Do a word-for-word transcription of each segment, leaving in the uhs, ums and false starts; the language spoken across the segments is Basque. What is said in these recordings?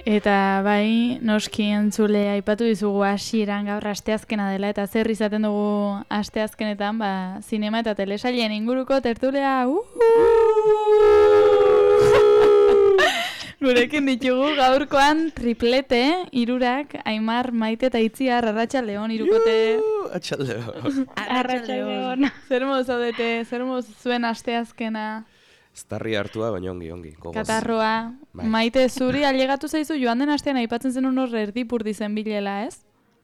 Eta bai, noski entzule aipatu dizugu hasieran gaur asteazkena dela, eta zer izaten dugu asteazkenetan, ba, zinema eta telesailen inguruko tertulia. Uh! Gurekin ditugu gaurkoan triplete, hirurak, Aimar, Maite eta Itziar, Arratsaldeon, hirukote. Arratsaldeon. Arratsaldeon. Zer modu zaudete, zer modu zuen asteazkena? Estarri hartua, baina ongi, ongi. Gogoz. Katarroa. Bai. Maite, zuri ailegatu zaizu joan den astean aipatzen zen hor erdipurdi zen bilela, ez?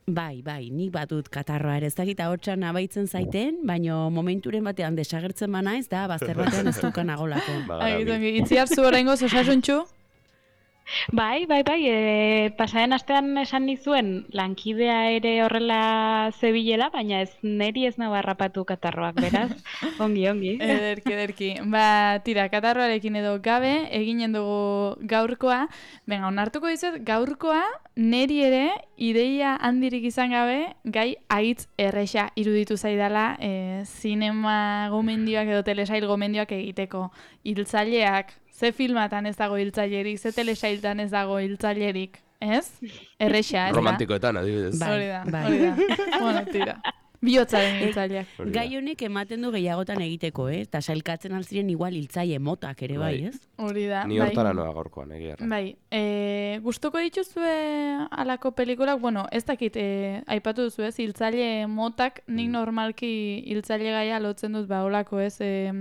Bai, bai, nik batut katarroa ere, ez dakit ahotsan abaitzen zaiten, baina momenturen batean desagertzen banaiz, da bazter batean ez dukan agolako. Agizongi, Itziar zu oraingoz osasuntxu? Bai, bai, bai, e, pasaren astean esan nizuen lankidea ere horrela zebilela, baina ez neri ez nago harrapatu katarroak, beraz, ongi, ongi. Ederki, ederki. Ba, tira, katarroarekin edo gabe, eginen dugu gaurkoa. Benga, onartuko dizut, gaurkoa neri ere ideia handirik izan gabe, gai haitz erresa iruditu zaidala e, zinema gomendioak edo telesail gomendioak egiteko. Hiltzaileak, ze filmatan ez dago hiltzailerik, ze telesailtan ez dago hiltzailerik, ez? Erresa, ez da? Romantikoetan, adibidez. Hori da, bai. hori da. Bueno, tira. Bihotzaren hiltzaileak. Gai honek ematen du gehiagotan egiteko, eh? Eta sailkatzen altziren igual hiltzaile motak ere bai, ez? Hori da. Ni hortara noa gaurkoan, egia. Bai, e, gustuko dituzue alako pelikulak, bueno, ez dakit, e, aipatu duzu ez, hiltzaile motak, nik normalki hiltzaile gaia lotzen dut, ba, olako ez, e,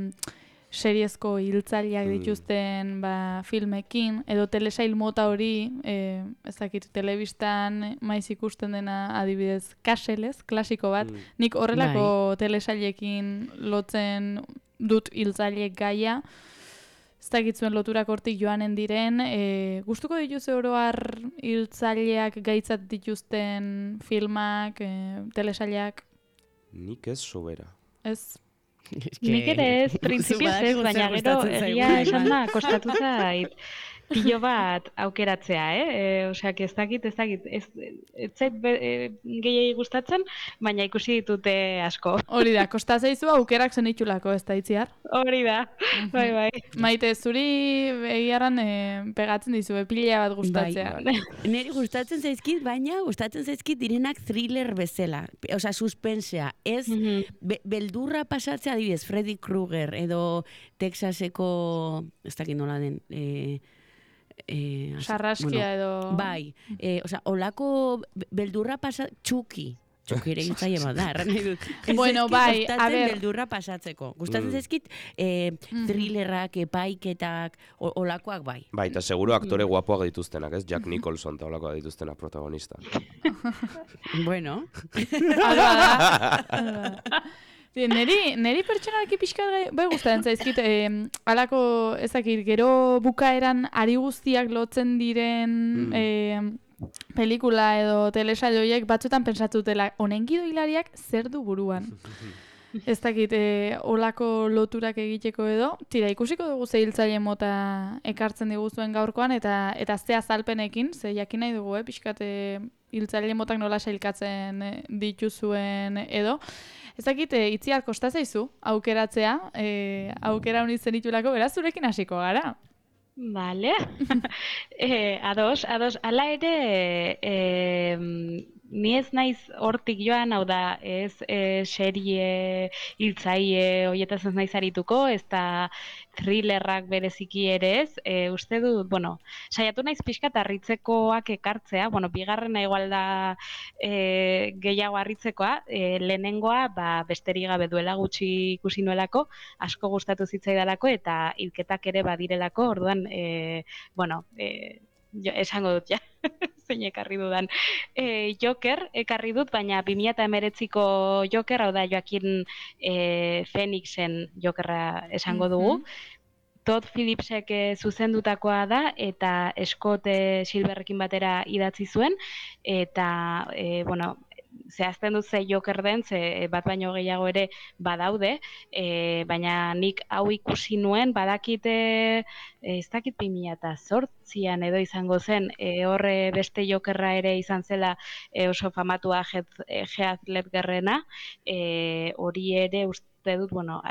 seriezko hiltzaileak dituzten ba, filmekin, edo telesail mota hori, e, ez dakit, telebistan maiz ikusten dena adibidez kaselez, klasiko bat, mm. nik horrelako bai. Telesailekin lotzen dut hiltzaileek gaia, ez dakitzuen loturak hortik joanen diren, e, gustuko dituzu oroar hiltzaileak gaitzat dituzten filmak, e, telesaileak? Nik ez sobera. Ez? Nik ere ez, printzipioz ez, baina gero egia esan da, kostatu zait pilo bat aukeratzea, eh? E, Osea, ez dakit, ez dakit, ez, ez zait e, gehiagi gustatzen, baina ikusi ditute asko. Hori da, kosta zaizu aukerak zenitulako, ez da Itziar? Hori da, bai, bai. Maite, zuri egiaran e, pegatzen dizu, pila bat gustatzea. Bai. Neri gustatzen zaizkit, baina gustatzen zaizkit direnak thriller bezala. Osea, suspensea. Ez, mm-hmm. be, beldurra pasatzea adibidez, Freddy Krueger, edo Texaseko, ez dakit nola den, e, Eh, Sarraskia bueno, edo... Bai, eh, osea, olako beldurra pasa... Txuki. Txuki ere gintzaile bat da, erran nahi dut. Bueno, bai, a ber... beldurra pasatzeko. Gustatzen mm. zaizkit eh, thrillerrak, epaiketak, olakoak bai. Bai, eta seguro aktore guapoak dituztenak, ez? Jack Nicholson eta olakoak dituztenak protagonista. Bueno. Alba da. Neri, neri pertsonalki pixkat gai, bai gustatzen zaizkit, eh, alako ezakit, gero bukaeran ari guztiak lotzen diren mm. eh, pelikula edo telesail horiek batzuetan pentsatutela, honen gidoilariak zer du buruan. Ez dakit, eh, olako loturak egiteko edo, tira, ikusiko dugu ze hiltzaile mota ekartzen diguzuen gaurkoan, eta eta ze azalpenekin, ze jakin nahi dugu, eh, pixkat eh, hiltzaile motak nola sailkatzen eh, dituzuen edo. Ez dakit, e, Itziar kosta zaizu aukeratzea, e, aukera honi zenitulako, beraz zurekin hasiko gara. Vale. e, ados, ados, ala ere, e, ni ez naiz hortik joan, hau da, ez e, serie, hiltzaile, hoietaz ez naiz arituko, ez da thrillerrak bereziki ere ez, e, uste dut, bueno, saiatu naiz pixkat harritzekoak ekartzea, bueno, bigarrena igual da e, gehiago harritzekoa, e, lehenengoa, ba, besterik gabe duela gutxi ikusi nuelako, asko gustatu zitzaidalako, eta hilketak ere badirelako, orduan, e, bueno, e, Jo, esango dut, ja, zein ekarri dudan. E, Joker ekarri dut, baina bi mila hemeretziko Joker, hau da Joaquin e, Phoenixen Jokerra esango dugu. Mm-hmm. Todd Phillipsek zuzendutakoa da, eta Scott e, Silverrekin batera idatzi zuen, eta, e, bueno, zehazten dut ze Joker den, ze bat baino gehiago ere badaude, e, baina nik hau ikusi nuen, badakite, e, ez dakit bi mila zortzian edo izango zen, e, horre beste Jokerra ere izan zela e, oso famatua Heath Ledgerrena, e, hori ere uste dut, bueno,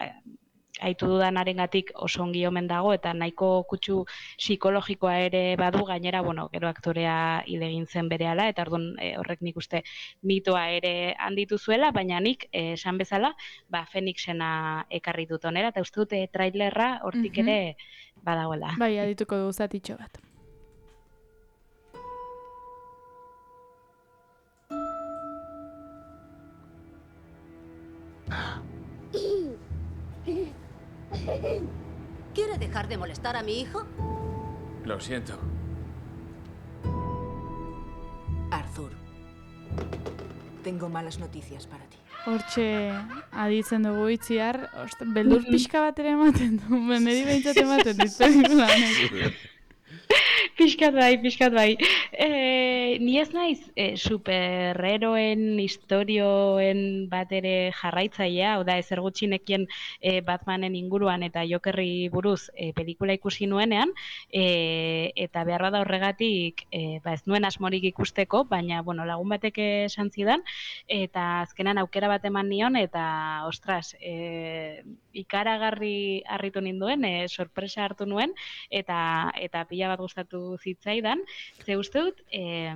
aitu dudanarengatik oso ongi omen dago eta nahiko kutsu psikologikoa ere badu, gainera, bueno, gero aktorea hil egin zen berehala eta orduan e, horrek nik uste mitoa ere handitu zuela, baina nik e, esan bezala, ba Fenixena ekarri dut onera eta uste dute trailerra hortik Mhm. ere badagoela. Bai, adituko du zatitxo bat. ¿Quiere dejar de molestar a mi hijo? Lo siento. Arthur, tengo malas noticias para ti. Hortxe aditzen dugu itziar, ost, beldur pixka bat ere ematen du, niri behintzat ematen dit pelikula honek. Pixkat bai, pixkat bai. E, ni ez naiz e, superheroen istorioen bat ere jarraitzailea, hau da ezer gutxinekien e, Batmanen inguruan eta Jokerri buruz e, pelikula ikusi nuenean, e, eta behar bada horregatik e, ba ez nuen asmorik ikusteko, baina bueno, lagun batek esan zidan, eta azkenan aukera bat eman nion, eta ostras, e, ikaragarri harritu ninduen, e, sorpresa hartu nuen, eta eta pila bat gustatu zitzaidan, ze uste dut, eh,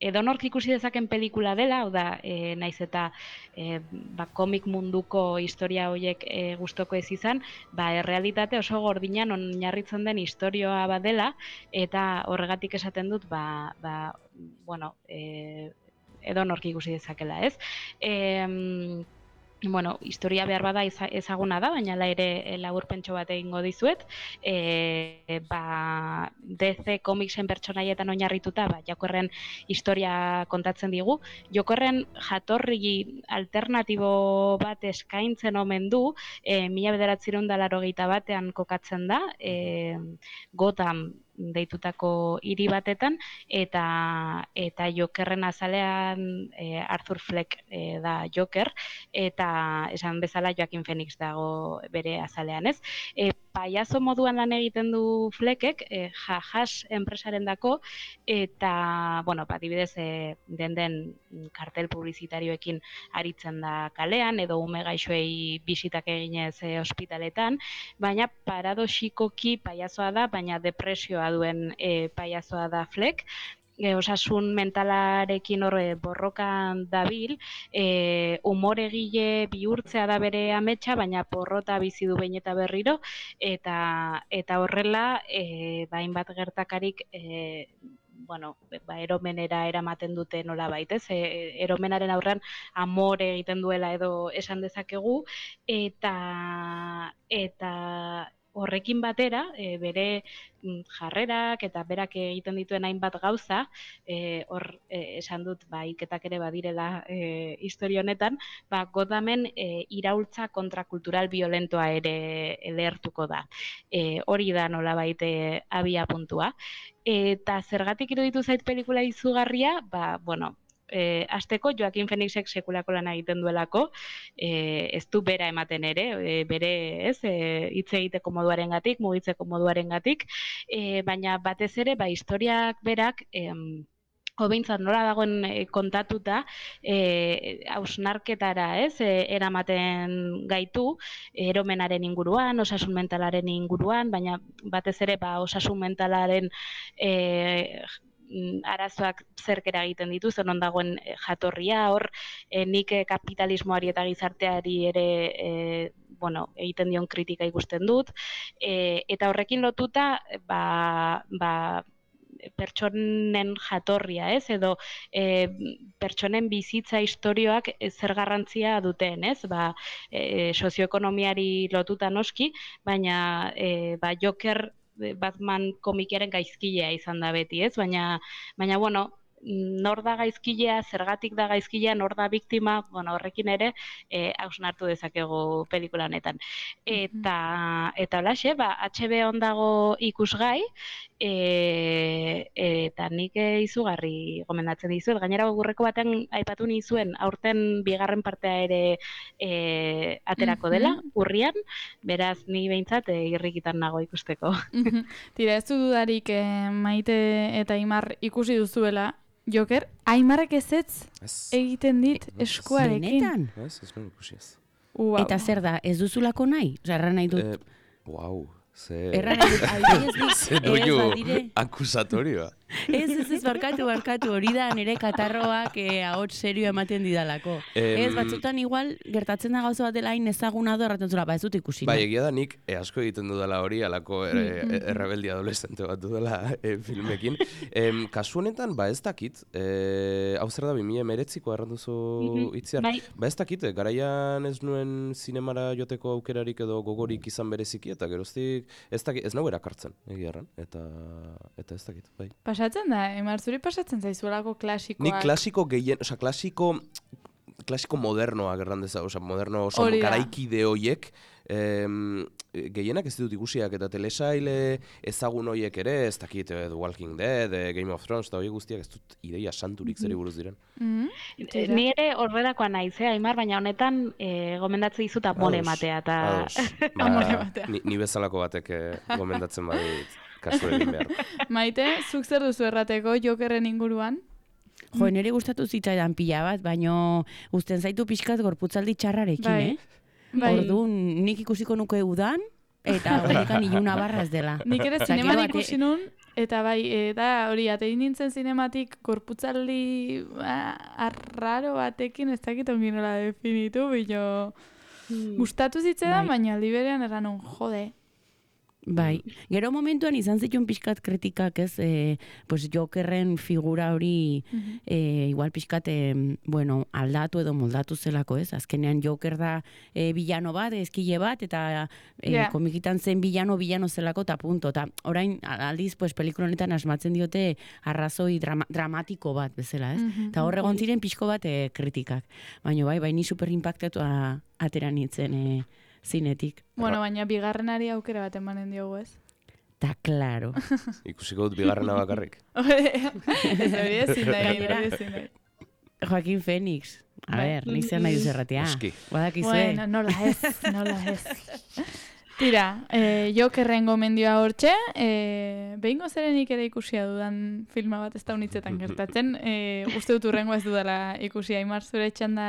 edonork ikusi dezaken pelikula dela, hau da, e, naiz eta e, ba, komik munduko historia horiek e, gustoko ez izan, ba, errealitate oso gordinan oinarritzen den historioa badela, eta horregatik esaten dut, ba, ba, bueno, e, edonork ikusi dezakela, ez? E, Bueno, historia behar bada ezaguna da, baina la ere laburpentxo bat egingo dizuet. E, ba, D C komiksen pertsonaietan oinarrituta, ba, Jokerren historia kontatzen digu. Jokerren jatorri alternatibo bat eskaintzen omen du, e, mila bederatziehun eta laurogeita batean kokatzen da, e, Gotham deitutako hiri batetan, eta eta Jokerren azalean e, Arthur Fleck e, da Joker, eta esan bezala Joaquin Phoenix dago bere azalean, ez? E, paiazo moduan lan egiten du Fleckek, e, Jajas enpresarendako, eta, bueno, adibidez, e, den den kartel publizitarioekin aritzen da kalean, edo ume gaixoei bisitak eginez e, ospitaletan, baina paradoxikoki paiazoa da, baina depresioa duen e, paiazoa da Fleck, e, osasun mentalarekin horre borrokan dabil, e, umoregile bihurtzea da bere ametsa, baina porrota bizi du behin eta berriro, eta eta horrela, e, bain bat gertakarik, e, bueno, ba, eromenera eramaten dute nola baitez, e, eromenaren aurrean amore egiten duela edo esan dezakegu, eta eta horrekin batera, e, bere jarrerak eta berak egiten dituen hainbat gauza, e, hor e, esan dut ba hilketak ere badirela e, historia honetan, ba Gothamen e, iraultza kontrakultural violentoa ere lehertuko da. E, hori da nolabait e, abia puntua. Eta zergatik iruditu zait pelikula izugarria, ba bueno, E, azteko Joaquin Phoenixek sekulako lan egiten duelako, e, ez du bera ematen ere, e, bere ez, e, hitz egiteko moduarengatik, mugitzeko moduarengatik, e, baina batez ere, ba, historiak berak, em, hobeintzat nola dagoen e, kontatuta, e, hausnarketara, ez, e, eramaten gaitu, eromenaren inguruan, osasun mentalaren inguruan, baina batez ere, ba, osasun mentalaren e, arazoak zerkera egiten ditu, zen dagoen jatorria, hor e, nik kapitalismoari eta gizarteari ere e, bueno, egiten dion kritika ikusten dut, e, eta horrekin lotuta ba, ba, pertsonen jatorria, ez, edo e, pertsonen bizitza istorioak zer garrantzia duten, ez, ba, e, sozioekonomiari lotuta noski, baina e, ba, Joker Batman komikiaren gaizkilea izan da beti, ez? Baina, baina bueno, nor da gaizkilea, zergatik da gaizkilea, nor da biktima, bueno, horrekin ere eh hausnartu dezakegu pelikula honetan. Eta eta holaxe, ba H B O dago ikusgai, e, eta nik izugarri gomendatzen dizuet. Gainera gurreko batean aipatu nizuen aurten bigarren partea ere e, aterako dela, urrian, beraz ni behintzat e, irrikitan nago ikusteko. Tira, ez du dudarik eh, Maite eta Aimar ikusi duzuela, Joker, Aimarrek ezetz egiten dit eskuarekin. Benetan? Ez, ez nuen ikusi ez. Wow. Eta zer da, ez duzulako nahi? Osa, erran nahi dut. Eh, wow, ze... Erran nahi dut, adibidez bi, Ze ez doinu badire. akusatorioa. Ez, ez, ez, barkatu, barkatu, hori da nire katarroak eh, ahots serio ematen didalako. Em, Ez, batzutan igual, gertatzen da gauza bat dela hain ezaguna do, erraten zula, ba ez dut ikusi. Bai, nahi. egia da nik e, asko egiten dudala hori, alako er, e, errebeldia adolescente bat dudala e, filmekin. Em, kasu honetan, ba ez dakit, e, hau zer da, bi mila hemeretziko erran duzu itziar. Bai. Ba ez dakit, e, garaian ez nuen zinemara joteko aukerarik edo gogorik izan bereziki, eta geroztik, ez dakit, ez nau erakartzen, egia erran, eta, eta ez dakit, bai. Pasatzen da, Emar, zuri pasatzen zaizuelako klasikoak. Nik klasiko gehien, osea, klasiko, klasiko modernoa gerran deza, osea, moderno oso Hori da. garaikide hoiek, em, gehienak ez ditut ikusiak, eta telesaile ezagun hoiek ere, ez dakit, eh, The Walking Dead, eh, Game of Thrones, eta horiek guztiak ez dut ideia santurik zeri buruz diren. Mhm. Eh, Ni ere horrelakoa naiz, eh, Aimar, baina honetan eh, gomendatzen dizut amore Ados, ematea. Eta... ados. Ba, Amore ematea. Ni, ni bezalako batek eh, gomendatzen badit kasu egin behar. Maite, zuk zer duzu errateko Jokerren inguruan? Jo, nire gustatu zitzaidan pila bat, baino uzten zaitu pixkat gorputzaldi txarrarekin, Bai. eh? Bai. Orduan, nik ikusiko nuke udan, eta horrekan iluna barra ez dela. Nik ere Osea, zineman gero bate- ikusi nun, eta bai, eta hori, atein nintzen zinematik gorputzaldi ba, arraro batekin, ez dakit ongi nola definitu, bilo gustatu zitzaidan, Bai. baina aldi berean eran un, jode. Bai, gero momentuan izan zituen pixkat kritikak, ez, e, pues Jokerren figura hori e, igual pixkat, e, bueno, aldatu edo moldatu zelako, ez? Azkenean Joker da e, bilano bat, ezkile bat, eta e, Ja. komikitan zen bilano, bilano zelako, eta punto. Eta orain, aldiz, pues, pelikula honetan asmatzen diote arrazoi drama, dramatiko bat bezala, ez? Mhm. Eta hor egon ziren pixko bat e, kritikak. Baina bai, bai, ni super impactatu atera nintzen e, zinetik. Bueno, baina bigarrenari aukera bat emanen diogu, ez? Ta claro. Ikusiko dut bigarrena bakarrik. Ez hori ezin da egin, Gainera. hori ezin da. Joaquin Phoenix. A Bai. ver, nik zer nahi duz erratea. Oski. Badakizue. Bueno, nola ez, nola ez. Tira, eh, Jokerren gomendioa hortxe, eh, behingo zerenik ere ikusia dudan filma bat ez da unitzetan gertatzen, eh, uste dut urrengo ez dudala ikusia, Aimar, zure txanda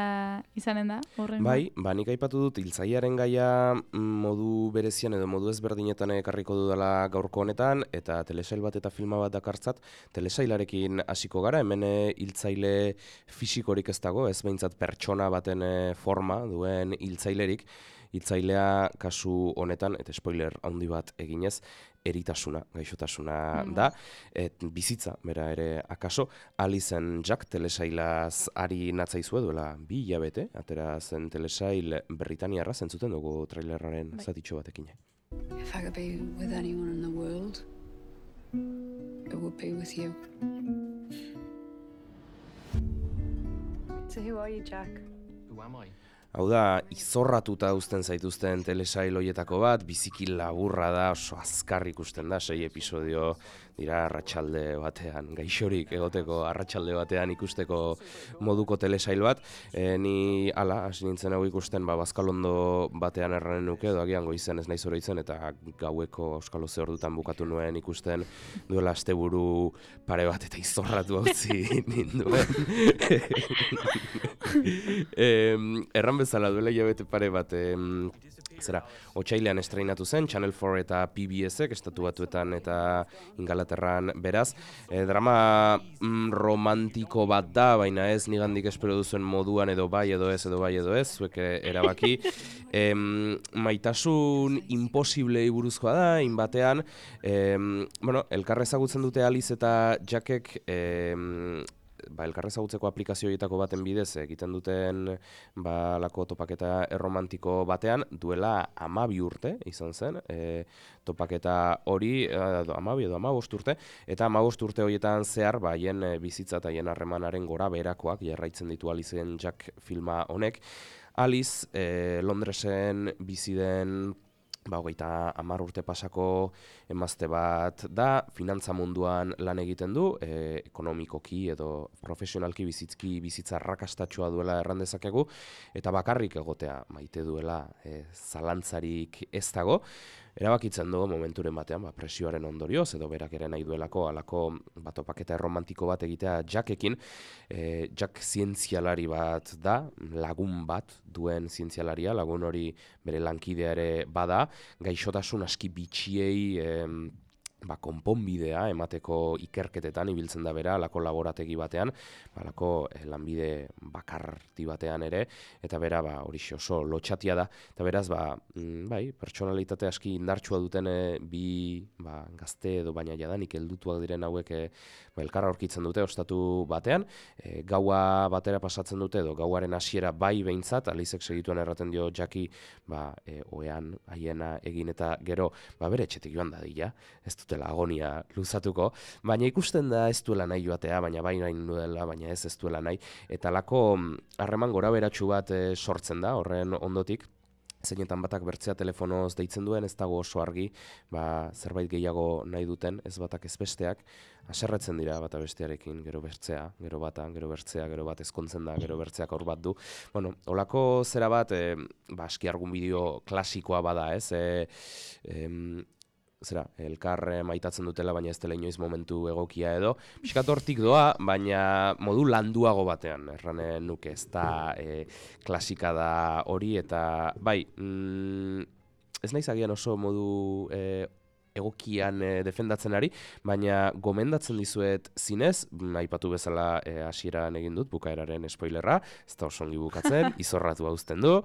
izanen da, horrengo? Bai, ba, nik aipatu dut hiltzailearen gaia mm, modu berezian edo modu ezberdinetan ekarriko dudala gaurko honetan, eta telesail bat eta filma bat dakartzat, telesailarekin hasiko gara, hemen eh, hiltzaile fisikorik ez dago, ez behintzat pertsona baten eh, forma duen hiltzailerik, hiltzailea kasu honetan, eta spoiler handi bat eginez, eritasuna, gaixotasuna da, et bizitza, bera ere akaso, Alizen Jack telesailaz ari natzaizue duela bi hilabete, atera zen telesail Britaniarra, zentzuten dugu trailerraren zatitxo batekin. If I could be with anyone in the world, it would be with you. So who are you, Jack? Who am I? Hau da, izorratuta uzten zaituzten telesail hoietako bat, biziki laburra da, oso azkar ikusten da, sei episodio dira arratsalde batean, gaixorik egoteko arratsalde batean ikusteko moduko telesail bat. E, ni ala, hasi nintzen hau ikusten, ba, bazkalondo batean erranen nuke, edo agian goizen ez naiz oroitzen, eta gaueko euskalo ze ordutan bukatu nuen ikusten duela asteburu pare bat eta izorratu hautzi ninduen. e, erran bezala duela hilabete pare bat, em, zera, otsailean estreinatu zen, Channel four eta P B S-ek, estatu batuetan eta Ingalaterran beraz. E, drama mm, romantiko bat da, baina ez nigandik espero duzuen moduan edo bai edo ez edo bai edo ez, zuek erabaki. Em, maitasun imposiblei buruzkoa da, inbatean, em, bueno, elkar ezagutzen dute Alice eta Jackek, em, ba, elkar ezagutzeko aplikazio horietako baten bidez egiten duten ba, lako topaketa erromantiko batean duela amabi urte izan zen, e, topaketa hori edo amabi edo amabost urte, eta amabost urte horietan zehar ba, haien e, bizitza eta haien harremanaren gora beherakoak jarraitzen ditu Alicen Jack filma honek. Alice e, Londresen bizi den ba, hogeita hamar urte pasako emazte bat da, finantza munduan lan egiten du, e, ekonomikoki edo profesionalki bizitzki bizitza arrakastatsua duela erran dezakegu, eta bakarrik egotea maite duela e, zalantzarik ez dago. erabakitzen du momenturen batean, ba, presioaren ondorioz, edo berak ere nahi duelako, alako ba, topaketa erromantiko bat egitea Jackekin. E, Jack zientzialari bat da, lagun bat duen zientzialaria, lagun hori bere lankidea ere bada, gaixotasun aski bitxiei em, ba, konponbidea emateko ikerketetan ibiltzen da bera, alako laborategi batean, ba, alako eh, lanbide bakarti batean ere, eta bera ba, hori oso lotxatia da, eta beraz, ba, mm, bai, pertsonalitate aski indartsua duten eh, bi ba, gazte edo baina jadanik heldutuak diren hauek eh, ba, elkarra aurkitzen dute ostatu batean, eh, gaua batera pasatzen dute, edo gauaren hasiera bai behintzat, Alizek segituen erraten dio Jackie, ba, eh, oean haiena egin eta gero, ba, bere etxetik joan dadila, ez dut agonia luzatuko, baina ikusten da ez duela nahi joatea, baina bai nahi duela, baina ez ez duela nahi, eta lako harreman gora beratxu bat e, sortzen da, horren ondotik, zeinetan batak bertzea telefonoz deitzen duen, ez dago oso argi, ba, zerbait gehiago nahi duten, ez batak ez besteak, haserretzen dira bata bestearekin, gero bertzea, gero bata, gero bertzea, gero bat ezkontzen da, gero bertzeak hor bat du. Bueno, holako zera bat, e, ba, aski argun bideo klasikoa bada, ez, e, e, zera, elkar maitatzen dutela, baina ez dela inoiz momentu egokia edo. Piskat hortik doa, baina modu landuago batean, erranen nuke, ez da e, klasika da hori, eta bai, mm, ez naiz agian oso modu e, egokian e, defendatzen ari, baina gomendatzen dizuet zinez, aipatu bezala e, hasieran egin dut, bukaeraren spoilerra, ez da oso ongi bukatzen, izorratu hauzten du,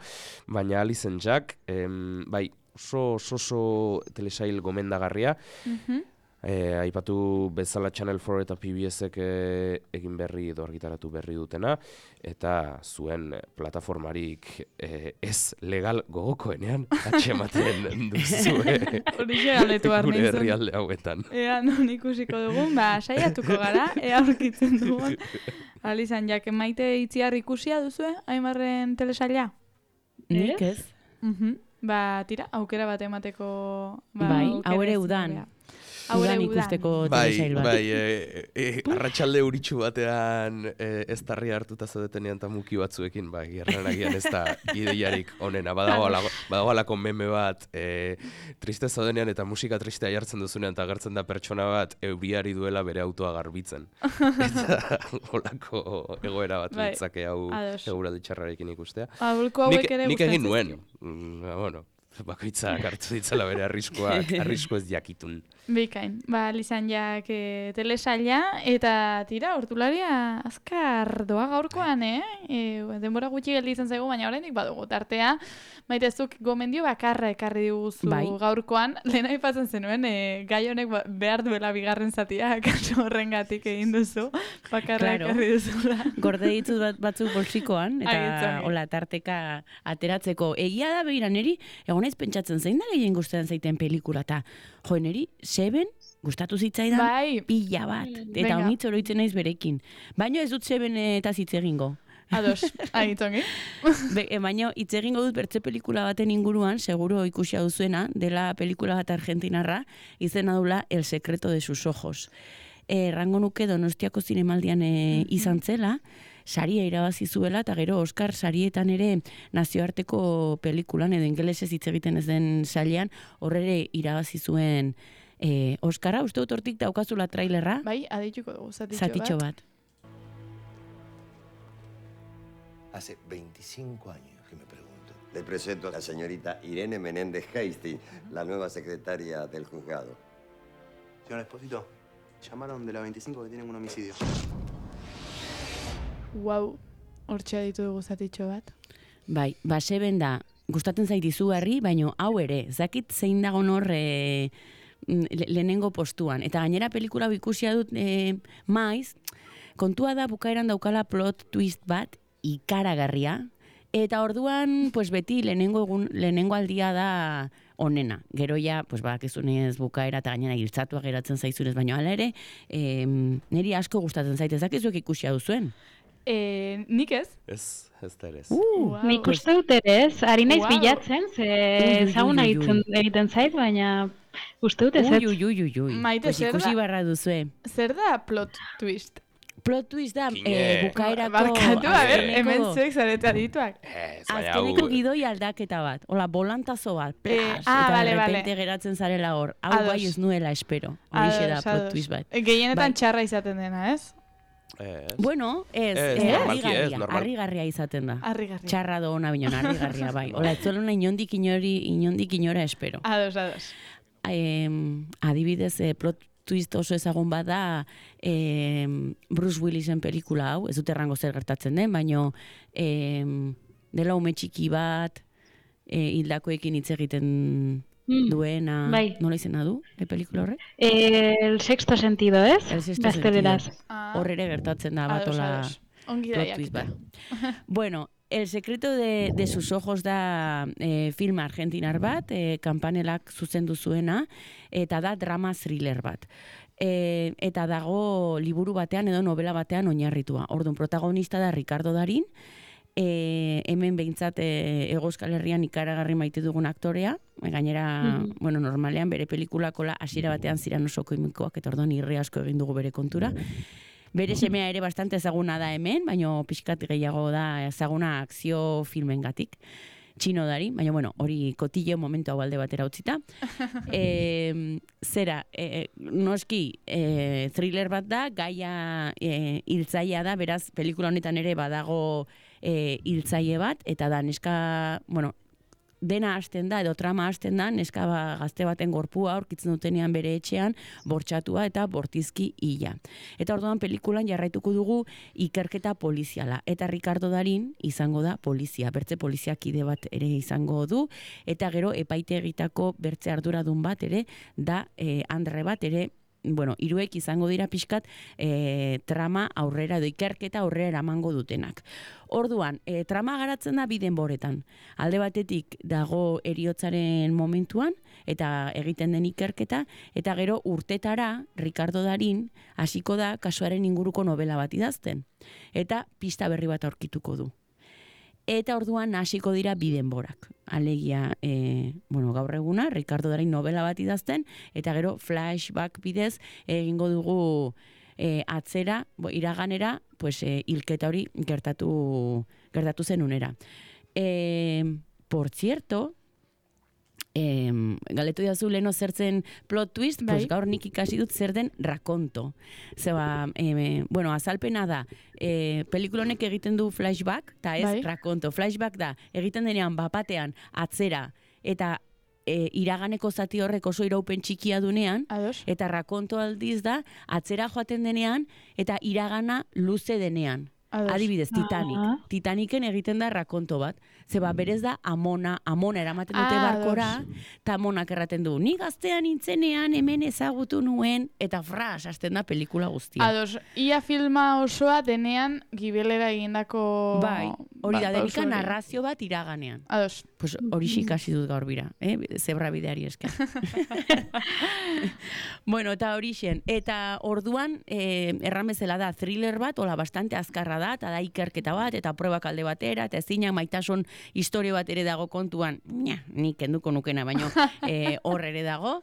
baina Alice and Jack, em, bai, oso oso telesail gomendagarria. Mm-hmm. E, aipatu bezala Channel four eta P B S-ek e, egin berri edo argitaratu berri dutena, eta zuen plataformarik e, ez legal gogokoenean atxematen duzue gure herrialde hauetan. Ea non ikusiko dugun, ba, saiatuko gara, ea aurkitzen dugun. Alice and Jack, maite itziar ikusia duzue, Aimarren telesaila? Nik ez. Mhm. Ba, tira, aukera bat emateko... Ba, bai, hau ere udan. Udan ikusteko telesail bat. Bai, bai, e, e, arratsalde euritsu batean e, ez tarri hartuta zaudetenean eta muki batzuekin, bai, gerranagian ez da ideiarik onena. Badago alako meme bat, e, triste zaudenean eta musika tristea jartzen duzunean eta agertzen da pertsona bat euriari duela bere autoa garbitzen. Eta holako egoera bat bai, litzake hau eguraldi txarrarekin ikustea. Aholku hauek ere nik egin nuen, mm, bueno, bakoitzak hartu ditzala bere arriskuak, arrisku ez jakitun. Bikain, ba, Lizan jak e, telesaila, eta tira, hortularia azkar doa gaurkoan, eh? E, denbora gutxi geldi izan zaigu, baina oraindik badugu tartea. Maitezuk gomendio bakarra ekarri diguzu bai, gaurkoan, lehen aipatzen zenuen, e, gai honek behar duela bigarren zatia, kaso horrengatik egin duzu, bakarra claro, ekarri duzula. Gorde ditut bat, batzuk bolsikoan, eta hola tarteka ateratzeko. Egia da behira neri, egon ez pentsatzen zein da gehien gustatzen zaiten pelikula, eta jo, neri, Seven gustatu zitzaidan bai, pila bat. Eta honitz oroitzen naiz berekin. Baina ez dut Seven eta hitz egingo. Ados, agitongi. Baina hitz egingo dut bertze pelikula baten inguruan, seguro ikusia duzuena, dela pelikula bat argentinarra, izena dula El secreto de sus ojos. Errango nuke Donostiako zinemaldian e, izan zela, saria irabazi zuela, eta gero Oscar sarietan ere nazioarteko pelikulan, edo ingelesez hitz egiten ez den sailean, horrere irabazi zuen e, Oscarra. Uste dut hortik daukazula trailerra? Bai, adituko dugu, zatitxo, zatitxo bat. bat. Hace veinticinco años que me pregunto. Le presento a la señorita Irene Menéndez Hastings, la nueva secretaria del juzgado. Señor Espósito, llamaron de la veinticinco que tienen un homicidio. Wow, hortxe aditu dugu zatitxo bat. Bai, ba, Seven da, gustatzen zait izugarri, baino hau ere, zakit zein dagon hor e, lehenengo postuan. Eta gainera pelikula ikusia dut e, maiz, kontua da bukaeran daukala plot twist bat, ikaragarria, eta orduan, pues beti lehenengo, egun, lehenengo aldia da onena. Gero ja, pues bakizunez bukaera eta gainera giltzatua geratzen zaizunez, baino hala ere, e, niri asko gustatzen zaite, zakizuek ikusia duzuen. E, nik ez? Ez, ez da ere ez. Uh, wow. Nik uste dut ere ez, ari naiz wow, bilatzen, ze zauna egiten zait, baina uste dut ez ez. Ui, ui, ui, ui, Maite, pues ikusi barra duzue. Zer da plot twist? Plot twist da, Kine. eh, bukaerako... Barkatu, a ber, azkeneko- hemen zuek zarete adituak. Ez, baina Azkeneko hau... gidoi aldaketa bat. Hola, volantazo bat. Eh, Plas, ah, eta vale, de vale. repente geratzen zarela hor. Hau Ados. bai ez nuela espero. Horixe da Ados, plot ados. twist bat. E, Gehienetan Bai. txarra izaten dena, ez? Ez. Bueno, ez, Ez, eh, normalki ez, harrigarria, normal. harrigarria izaten da. Harrigarria. Txarra do ona binon, harrigarria bai. Hola, ez zuela inondik inori, inondik inora espero. Ados, ados. Eh, adibidez, eh, plot twist oso ezagun bada eh, Bruce Willisen pelikula hau, ez dut errango zer gertatzen den, baino eh, dela ume txiki bat, eh, hildakoekin hitz egiten Mm, duena, bai. nola izena du, e pelikula horre? Eh, el sexto sentido, ez? El sexto Gazteleraz. sentido. Ah, Hor ere gertatzen da bat ados, hola ados. Ongi plot da twist jakite. bat. Bueno, El secreto de, de sus ojos da eh, film argentinar bat, eh, kanpanelak zuzendu zuena, eta da drama thriller bat. E, eta dago liburu batean edo novela batean oinarritua. Orduan, protagonista da Ricardo Darín, e, hemen behintzat e, Hego Euskal Herrian ikaragarri maite dugun aktorea, gainera, Mhm. bueno, normalean bere pelikullakola hasiera batean ziren oso koimikoak, eta orduan irri asko egin dugu bere kontura. Bere semea ere bastante ezaguna da hemen, baina pixkat gehiago da ezaguna akzio filmengatik. Txino dari, baina bueno, hori kotille momentu hau alde batera utzita. E, zera, e, noski e, thriller bat da, gaia e, hiltzailea da, beraz, pelikula honetan ere badago e, hiltzaile bat, eta da neska, bueno, dena hasten da, edo trama hasten da, neska ba, gazte baten gorpua aurkitzen dutenean bere etxean, bortxatua eta bortizki hila. Eta orduan pelikulan jarraituko dugu ikerketa poliziala. Eta Ricardo Darín izango da polizia, bertze poliziakide bat ere izango du, eta gero epaitegitako bertze arduradun bat ere, da eh, Andre bat ere, bueno, hiruek izango dira pixkat e, trama aurrera edo ikerketa aurrera eramango dutenak. Orduan, e, trama garatzen da bi denboretan. Alde batetik dago heriotzaren momentuan eta egiten den ikerketa, eta gero urtetara Ricardo Darín hasiko da kasuaren inguruko novela bat idazten. Eta pista berri bat aurkituko du. Eta orduan hasiko dira bi denborak. Alegia, e, bueno, gaur eguna, Ricardo Darín novela bat idazten, eta gero flashback bidez egingo dugu e, atzera, bo, iraganera, pues, e, hilketa hori gertatu, gertatu zenunera. E, por cierto, Eh, galetu diazu leno zertzen plot twist, bai. pues gaur nik ikasi dut zer den rakonto. Zeba, eh, bueno, azalpena da, eh, pelikula honek egiten du flashback, eta ez Bai. rakonto. Flashback da, egiten denean bapatean atzera, eta e, iraganeko zati horrek oso iraupen txikia dunean, Ados. eta rakonto aldiz da, atzera joaten denean, eta iragana luze denean. Ados. Adibidez, Titanic. Ah. Titaniken egiten da rakonto bat. Zeba, berez da amona, amona eramaten dute Ah, barkora, eta amonak erraten du, ni gaztean nintzenean hemen ezagutu nuen, eta fras, hasten da pelikula guztia. Ados, ia filma osoa denean gibelera egindako... Bai, hori da, ba, delika oso hori. narrazio bat iraganean. Ados. Pues hori ikasi dut gaur bira, eh? Zebra bideari esker. Bueno, eta hori xen. Eta orduan, eh, erran bezala da, thriller bat, hola, bastante azkarra da, eta da ikerketa bat, eta pruebak alde batera, eta ezinak maitasun historia bat ere dago kontuan, nia, nik kenduko nukena, baino eh, hor ere dago.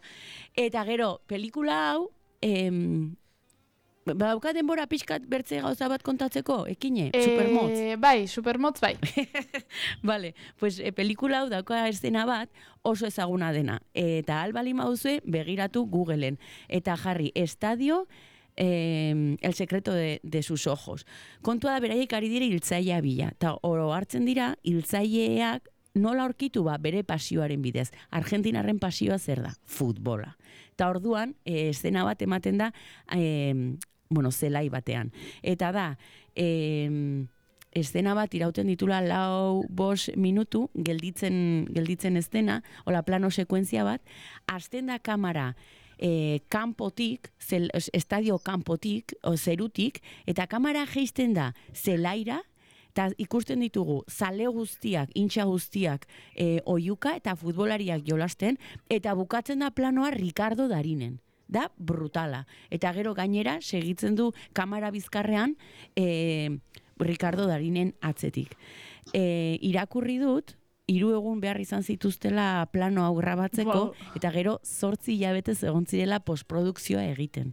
Eta gero, pelikula hau, em, badauka denbora pixkat bertze gauza bat kontatzeko, ekine, supermotz. Eh, bai, supermotz bai. Vale, pues e, pelikula hau dauka eszena bat oso ezaguna dena. Eta albali mauzue begiratu Googleen. Eta jarri, estadio, eh, el secreto de, de sus ojos. Kontua da beraiek ari dira hiltzailea bila. Eta oro hartzen dira hiltzaileak nola aurkitu ba bere pasioaren bidez. Argentinarren pasioa zer da? Futbola. Eta orduan, e, eszena bat ematen da, e, bueno, zelai batean. Eta da, e, eszena bat irauten ditula lau bos minutu, gelditzen, gelditzen eszena, hola plano sekuentzia bat, hasten da kamera e, kanpotik, zel, estadio kanpotik, o zerutik, eta kamera jeisten da zelaira, eta ikusten ditugu zale guztiak, intxa guztiak e, oiuka eta futbolariak jolasten, eta bukatzen da planoa Ricardo Darinen. Da brutala. Eta gero gainera segitzen du kamera bizkarrean e, Ricardo Darinen atzetik. E, irakurri dut, hiru egun behar izan zituztela plano hau grabatzeko, Wow. eta gero zortzi hilabetez egon zirela postprodukzioa egiten.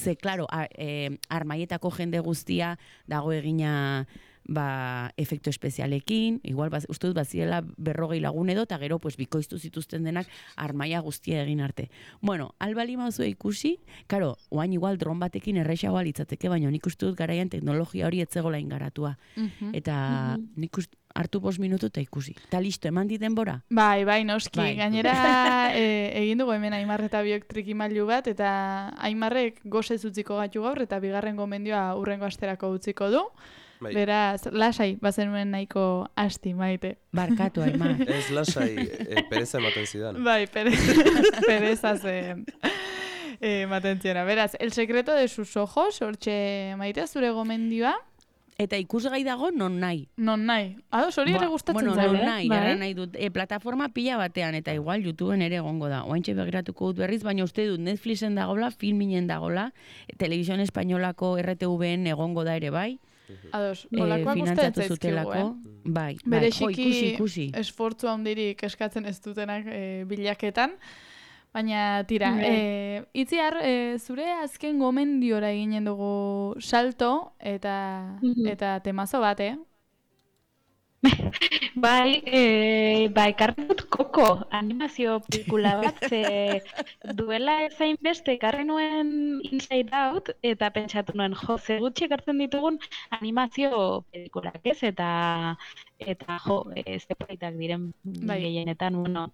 ze, klaro, a, e, armaietako jende guztia dago egina ba, efektu espezialekin, igual, baz, uste dut, bazirela berrogei lagun edo, eta gero, pues, bikoiztu zituzten denak armaia guztia egin arte. Bueno, albali mauzue ikusi, karo, oain igual dron batekin errexagoa litzateke, baina nik uste dut garaian teknologia hori etzegola ingaratua. Uh-huh. Eta uh-huh. nik uste hartu bost minutu eta ikusi. Eta listo, eman di denbora? Bai, bai, noski. Bai. Gainera, e, egin dugu hemen Aimar eta biok trikimailu bat, eta Aimarrek gozez utziko gatu gaur, eta bigarren gomendioa urrengo asterako utziko du. Bai. Beraz, lasai, bazenuen nahiko asti, Maite. Barkatu, Aimar. Ez lasai, e, pereza ematen zidan. Bai, pereza, pereza zen e, ematen ziena. Beraz, El secreto de sus ojos, hortxe Maite, zure gomendioa. Eta ikusgai dago non nahi. Non nahi. Ados, hori ere gustatzen bueno, zaio. Non nahi, bai. Ara nahi dut. E, plataforma pila batean, eta igual YouTubeen ere egongo da. Oaintxe begiratuko dut berriz, baina uste dut Netflixen dagola, Filminen dagola, Televisión Espainolako R T V-en egongo da ere bai. Ados, olakoak e, gustatzen zaizkigu, eh? Bai, bereziki bai, jo, ikusi, ikusi. Esfortzu handirik eskatzen ez dutenak e, bilaketan. Baina, tira, Mm. e, itziar, e, zure azken gomendiora eginen dugu salto eta, Mm-hmm. eta temazo bat, eh? Bai, e, bai, ekarri dut Koko animazio pelikula bat, ze duela ezain beste ekarri nuen Inside Out, eta pentsatu nuen, jo, ze gutxi ekartzen ditugun animazio pelikulak, ez? Eta, eta jo, ez politak diren Bai. gehienetan, bueno.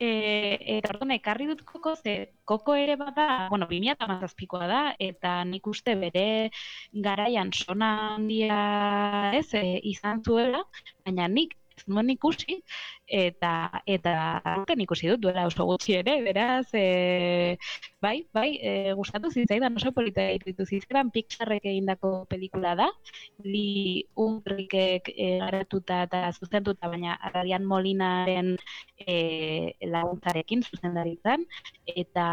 E, eta orduan, ekarri dut Koko, ze Koko ere bada, bueno, bi mila hamazazpikoa da, eta nik uste bere garaian sona handia, ez, e, izan zuela, baina nik ez nuen ikusi, eta eta aurten ikusi dut duela oso gutxi ere, beraz, e, bai, bai, e, gustatu zitzaidan oso polita iruditu zitzaidan, Pixarrek egindako pelikula da, Lee Unkrikek e, garatuta eta zuzentuta, baina Ryan Molinaren e, laguntzarekin zuzendaritzan, eta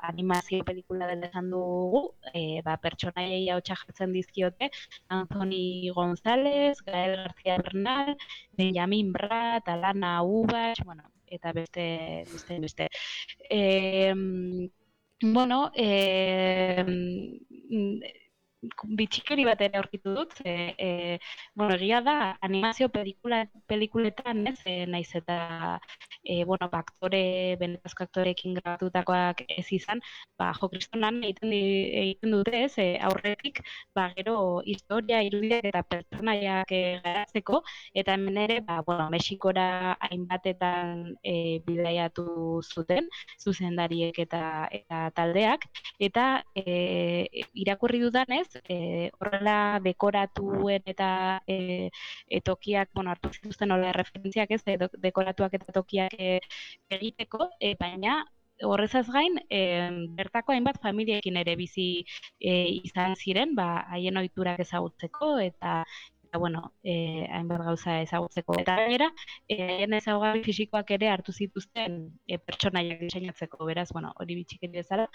animazio pelikula dela esan dugu, e, ba, pertsonaiei ahotsa jartzen dizkiote, Anthony González, Gael García Bernal, Benjamin Bratt, Alana Ubach, bueno, eta beste, beste, beste. E, bueno, e, bitxikeri bat ere aurkitu dut, e, e, bueno, egia da, animazio pelikula, pelikuletan, ez, e, naiz eta, e, bueno, ba, aktore, benetazko aktorekin grabatutakoak ez izan, ba, jo, kristonan egiten, egiten dute, ez, e, aurretik, ba, gero, historia, irudiak eta pertsonaiak e, garatzeko, eta hemen ere, ba, bueno, Mexikora hainbatetan e, bidaiatu zuten, zuzendariek eta, eta taldeak, eta e, irakurri dudanez, E, horrela dekoratuen eta e, e, tokiak, bueno, hartu zituzten hola referentziak ez, e, dekoratuak eta tokiak e, egiteko, e, baina horrezaz gain, e, bertako hainbat familiekin ere bizi e, izan ziren, ba, haien ohiturak ezagutzeko, eta eta bueno, eh, hainbat gauza ezagutzeko. Eta gainera, eh, haien ezaugarri fisikoak ere hartu zituzten e, pertsonaiak diseinatzeko, beraz, bueno, hori bitxikeri bezala.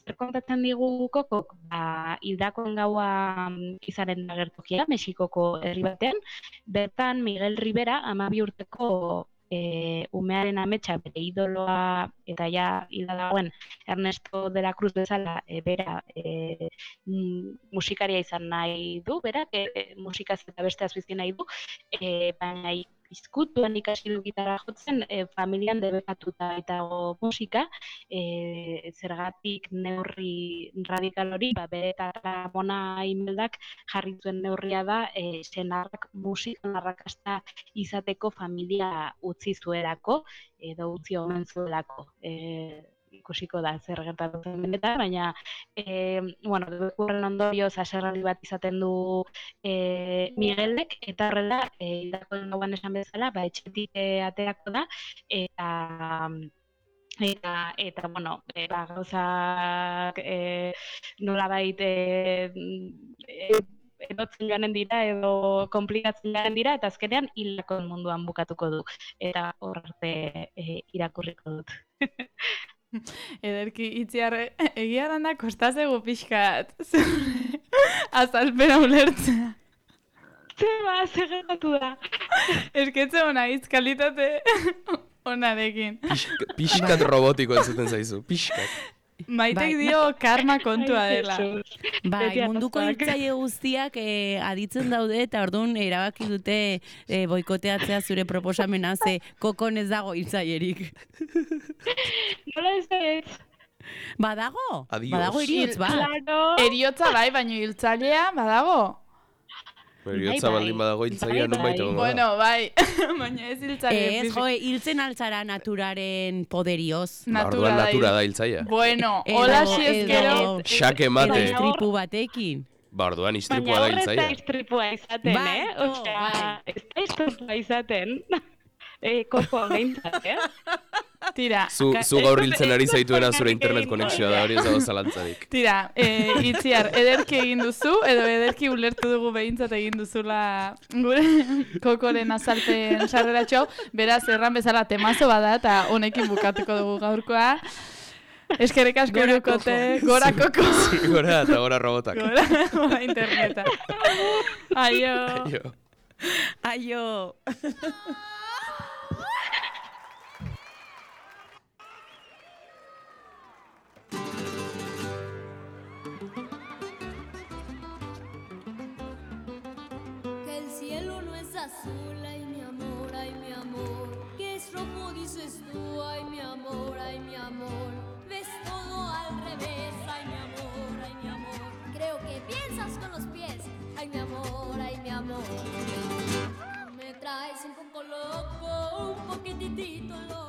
Zer kontatzen digu Kokok, ba, hildakoen gaua izaren da gertokia, Mexikoko herri batean, bertan Miguel Rivera, hamabi urteko E, umearen ametsa bere idoloa eta ja hilda dagoen Ernesto de la Cruz bezala e, bera e, musikaria izan nahi du, berak e, musikaz eta beste azbizki nahi du, e, baina izkutuan ikasi du gitarra jotzen, e, familian debekatuta eta musika, e, zergatik neurri radikal hori, ba, bere eta Ramona Imeldak jarri zuen neurria da, e, senarrak musikan arrakasta izateko familia utzi zuelako, edo utzi omen zuelako. E, ikusiko da zer gertatzen benetan, baina e, bueno, debekurren ondorioz haserraldi bat izaten du e, Miguelek, eta horrela, e, hildakoen gauan esan bezala, ba, etxetik e, aterako da, eta eta, eta bueno, e, ba, gauzak e, nolabait e, e, edotzen joanen dira edo komplikatzen joanen dira, eta azkenean hildakoen munduan bukatuko du, eta hor arte e, irakurriko dut. Ederki, itziarre, egiaran da kostazegu pixkat, azalpena ulertzea. Zeba, zegetatu da. Esketze hona, izkalitate onarekin. Pixkat robotiko entzuten zaizu, pixkat. Maitek dio karma kontua dela. Bai, munduko hiltzaile guztiak eh, aditzen daude eta orduan erabaki dute eh, boikoteatzea zure proposamena ze kokon ez dago hiltzailerik. Nola ez ez? Badago? Adios. Badago heriotz bat. Eriotza bai, baino hiltzailea badago. Eriotza baldin badago hiltzailea nun baita gongo da. Bueno, bai, baina ez hiltzailea. Ez, joe, hiltzen altzara naturaren poderioz. Orduan natura da hiltzailea. Bueno, hola si ez gero. Xake mate. Edo istripu batekin. Ba, orduan istripua da hiltzailea. Baina horreta istripua izaten, Bai, eh? to, Osea, bai. ez da istripua izaten. Eh, koko behintzat, eh? Tira. Zu, zu gaur hiltzen ari zaituena zure internet konexioa da, hori ez dago zalantzarik. Tira, e, itziar, ederki egin duzu, edo ederki ulertu dugu behintzat egin duzula gure kokoren azalpen sarreratxo, beraz, erran bezala temazo bada, eta honekin bukatuko dugu gaurkoa. Eskerrik asko erukote, gora koko. Gora eta gora robotak. Gora, gora interneta. Aio. Aio. Aio. Que el cielo no es azul, ay mi amor, ay mi amor. Que es rojo dices tú, ay mi amor, ay mi amor. Ves todo al revés, ay mi amor, ay mi amor. Creo que piensas con los pies, ay mi amor, ay mi amor. Me traes un poco loco, un poquitito loco.